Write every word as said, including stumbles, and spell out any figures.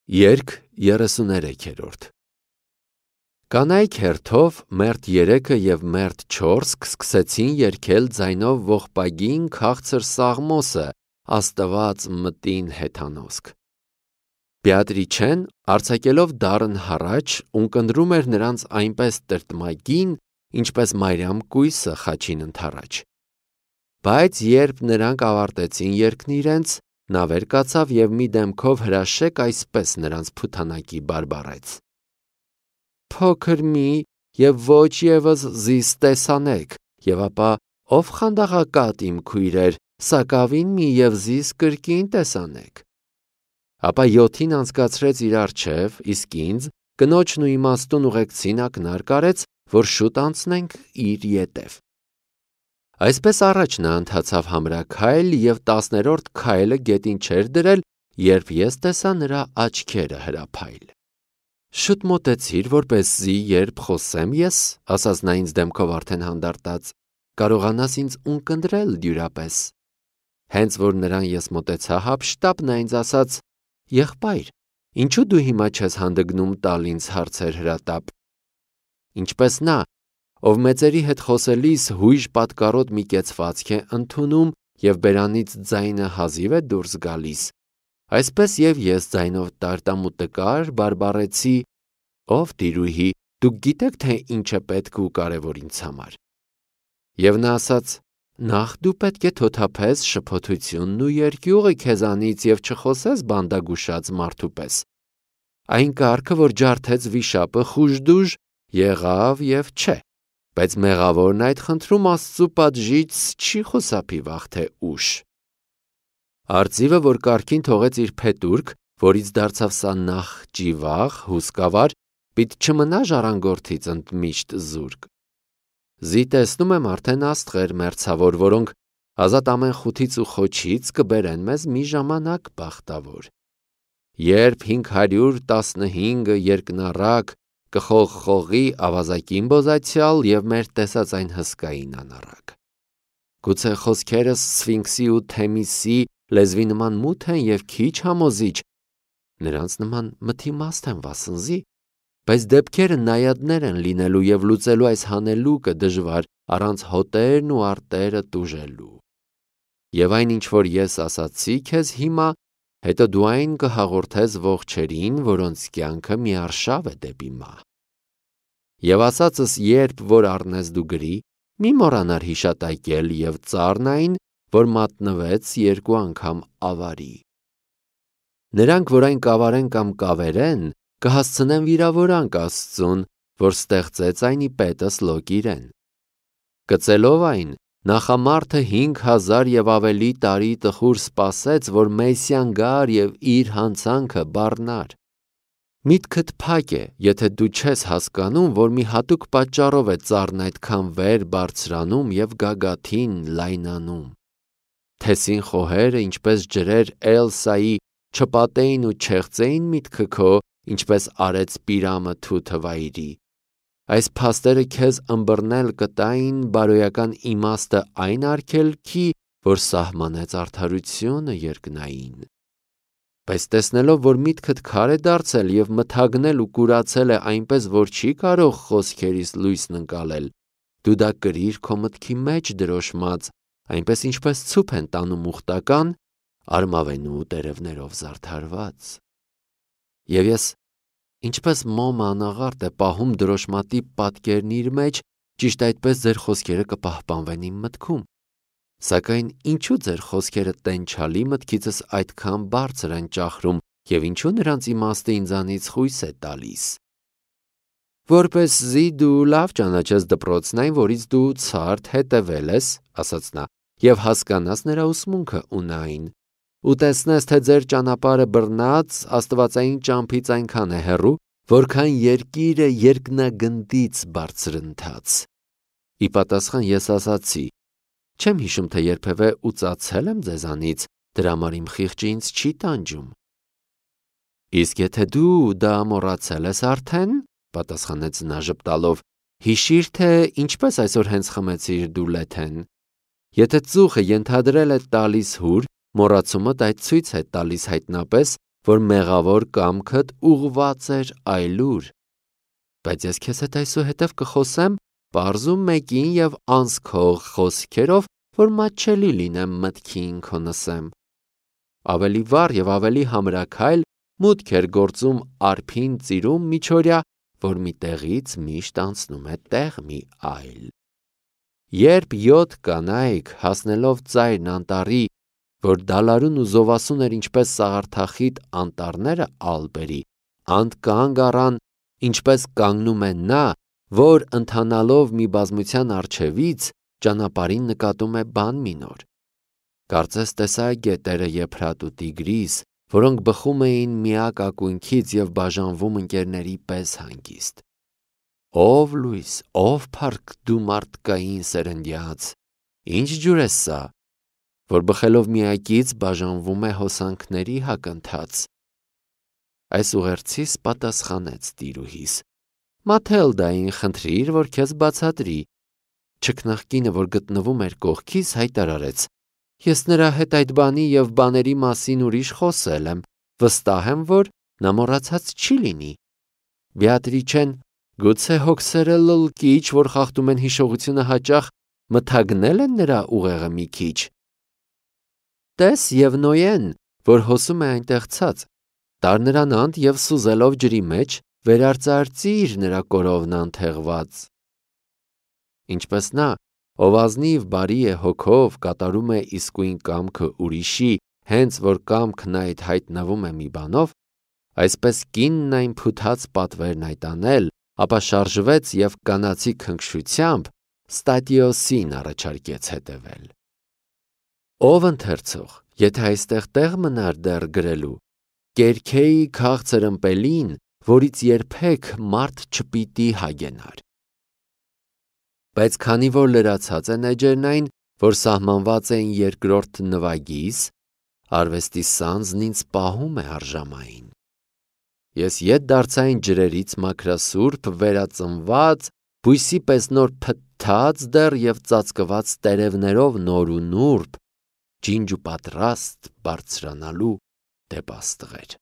Երգ երեսուներեքերորդ Կանայք հերթով մերթ երեքը և մերթ չորսք սկսեցին երգել ձայնով ողբագին քաղցր Սաղմոսը, Աստված մտին հեթանոսք։ Բեատրիչեն արձակելով դառն հառաչ ունկնդրում էր նրանց այնպես տրտմագին, ինչպես Մարիամ կույսը խաչին ընդառաջ։ Բայց երբ նրանք ավարտեցին երգն իրենց, նա վեր կացավ և մի դեմքով հրաշեկ այսպես նրանց փութանակի բարբառեց. Փոքր մի և ոչ ևս զիս տեսանեք, և ապա ով խանդաղակատ իմ քույրեր, սակավին մի և զիս կրկին տեսանեք։ Ապա յոթին անցկացրեց իր առջև, իսկ ինձ կնոջն ու իմաստուն ուղեկցին ակնարկ արեց, որ շուտ անցնենք իր ետև։ Այսպես առաջ նա ընթացավ համրաքայլ և տասներորդ քայլը գետին չէր դրել, երբ ես տեսա նրա աչքերը հրափայլ։ Շուտ մոտեցիր, որպեսզի երբ խոսեմ ես, ասաց նա ինձ դեմքով արդեն հանդարտած, կարողանաս ինձ ունկնդրել դյուրապես։ Հենց որ նրան ես մոտեցա հափշտապ, նա ինձ ասաց. Եղբայր, ինչու դու հիմա չես հանդգնում տալ ինձ հարցեր հրատապ։ Ինչպես նա, ով մեծերի հետ խոսելիս հույժ պատկառոտ մի կեցվածք է ընդունում և բերանից ձայնը հազիվ է դուրս գալիս, այսպես և ես ձայնով տարտամ ու տկար բարբառեցի. Ով տիրուհի, դուք գիտեք, թե ինչ է պետք ու կարևոր ինձ համար։ Եվ նա ասաց. Նախ դու պետք է թոթափես շփոթությունն ու երկյուղը քեզանից և չխոսես բանդագուշած մարդու պես։ Այն կարգը, որ ջարդեց վիշապը, խուժդուժ եղավ և չէ, բայց մեղավորն այդ խնդրում Աստծու պատժից չի խուսափի վաղ թե ուշ։ Արծիվը, որ կարգին թողեց իր փետուրք, որից դարձավ սա նախ ճիվաղ, հուսկավար, պիտ չմնա ժառանգորդից ընդմիշտ զուրկ։ Զի տեսնում եմ արդեն աստղեր մերձավոր, որոնք ազատ ամեն խութից ու խոչից կբերեն մեզ մի ժամանակ բախտավոր։ Երբ հինգ հարյուր տասնհինգը երկնառակ կխողխողի ավազակին բոզացյալ և մեր տեսած այն հսկային անառակ։ Գուցե խոսքերս Սֆինքսի ու Թեմիսի լեզվի նման մութ են և քիչ համոզիչ, նրանց նման մթիմաստ են վասնզի, բայց դեպքերը նայադներ են լինելու և լուծելու այս հանելուկը դժվար առանց հոտերն ու արտերը տուժելու։ Եվ այն ինչ որ ես ասացի քեզ հիմա, հետո դու այն կհաղորդես ողջերին, որոնց կյանքը միարշավ է դեպի մահ։ Եվ ասածս երբ որ առնես դու գրի, մի մոռանար հիշատակել և ծառն այն, որ մատնվեց երկու անգամ ավարի։ Նրանք, որ այն կավարեն կամ կավերեն, կհասցնեն վիրավորանք Աստծուն, որ ստեղծեց այն ի պետս լոկ իրեն։ Կծելով այն, նախամարդը հինգ հազար և ավելի տարի տխուր սպասեց, որ Մեսիան գար և իր հանցանքը բառնար։ Միտքդ փակ է, եթե դու չես հասկանում, որ մի հատուկ պատճառով է ծառն այդքան վեր բարձրանում և գագաթին լայնանում։ Թեսին խոհերը, ինչպես ջրեր Էլսայի, չպատեին ու չեղծեին միտքը քո, ինչպես արեց Պիրամը թութը վայրի։ Այս փաստերը քեզ ըմբռնել կտային բարոյական իմաստը այն արգելքի, որ սահմանեց արդարությունը երկնային։ Բայց տեսնելով, որ միտքդ քար է դարձել և մթագնել ու կուրացել է այնպես, որ չի կարող խոսքերիս լույսն ընկալել, դու դա կրիր քո մտքի մեջ դրոշմած, այնպես ինչպես ցուփ են տանում ուխտական, արմավենու տերևներով զարդարված։ Եվ ես, ինչպես մոմը անաղարտ է պահում դրոշմատի պատկերն իր մեջ, ճիշտ այդպես ձեր խոսքերը կպահպանվեն իմ մտքում։ Սակայն ինչու ձեր խոսքերը տենչալի մտքիցս այդքան բարձր են ճախրում և ինչու նրանց իմաստը ինձանից խույս է տալիս։ Որպեսզի դու լավ ճանաչես դպրոցն այն, որից դու ցարդ հետևել ես, ասաց նա, և հասկանաս նրա ուսմունքը ունայն, ու տեսնես, թե ձեր ճանապարհը բռնած աստվածային ճամփից այնքան է հեռու, որքան երկիրը երկնագնդից բարձրընթաց։ Ի պատասխան ես ասացի. չեմ հիշում, թե երբևէ ուծացել եմ ձեզանից, դրա համար իմ խիղճը ինձ չի տանջում։ Իսկ եթե դու դա մոռացել ես արդեն, պատասխանեց նա ժպտալով, հիշիր, թե ինչպես այսօր հենց խմեցիր դու լեթեն։ Եթե ծուխը ենթադրել է տալիս հուր, մոռացումդ այդ ցույց է տալիս հայտնապես, որ մեղավոր կամքդ ուղված էր այլուր։ Բայց ես քեզ հետ այսուհետև կխոսեմ պարզ ու մեկին և անսքող խոսքերով, որ մատչելի լինեմ մտքին քո նսեմ։ Ավելի վառ և ավելի համրաքայլ մուտք էր գործում արփին ծիրում միջօրյա, որ մի տեղից միշտ անցնում է տեղ մի այլ։ Երբ յոթ կանայք հասնելով ծայրն անտառի, որ դալարուն ու զովասուն էր ինչպես սաղարթախիտ անտառները Ալպերի, անդ կանգ առան, ինչպես կանգնում է նա, որ ընթանալով մի բազմության առջևից ճանապարհին նկատում է բան մի նոր։ Կարծես տեսա գետերը Եփրատ ու Տիգրիս, որոնք բխում էին միակ ակունքից և բաժանվում ընկերների պես հանգիստ։ Ով լույս, ով փառք դու մարդկային սերնդյաց, ինչ ջուր է սա, որ բխելով միակից բաժանվում է հոսանքների հակընթաց։ Այս ուղերձիս պատասխանեց տիրուհիս. Մաթելդային խնդրիր, որ քեզ բացատրի։ Չքնաղկինը, որ գտնվում էր կողքիս, հայտարարեց. Ես նրա հետ այդ բանի և բաների մասին ուրիշ խոսել եմ, վստահ եմ, որ նա մոռացած չի լինի։ Բեատրիչեն գուցե հոգսերը լլկիչ, որ խախտում են հիշողությունը հաճախ, մթագնել են նրա ուղեղը մի քիչ։ Տես և Նոյեն, որ հոսում է այնտեղ ցած, տար նրան անդ և սուզելով ջրի մեջ, վերարծարծիր նրա կորովն անթեղված։ Ինչպես նա, ով ազնիվ բարի է հոգով, կատարում է իսկույն կամքը ուրիշի, հենց որ կամքն այդ հայտնվում է մի բանով, այսպես կինն այն փութած պատվերն այդ անել, ապա շարժվեց և կանացի քնքշությամբ Ստատիոսին առաջարկեց հետևել։ Ով ընթերցող, եթե այստեղ տեղ մնար դեռ գրելու, կերքեի քաղցր ըմպելին, որից երբեք մարդ չպիտի հագենար։ Բայց քանի որ լրացած են էջերն այն, որ սահմանված էին երկրորդ նվագիս, արվեստի սանձն ինձ պահում է արժամային։ Ես ետ դարձա այն ջրերից մաքրասուրբ, վերածնված, բույսի պես նոր փթթած դեռ և ծածկված տերևներով նոր ու նուրբ, ջինջ ու պատրաստ բարձրանալու դեպ աստղեր։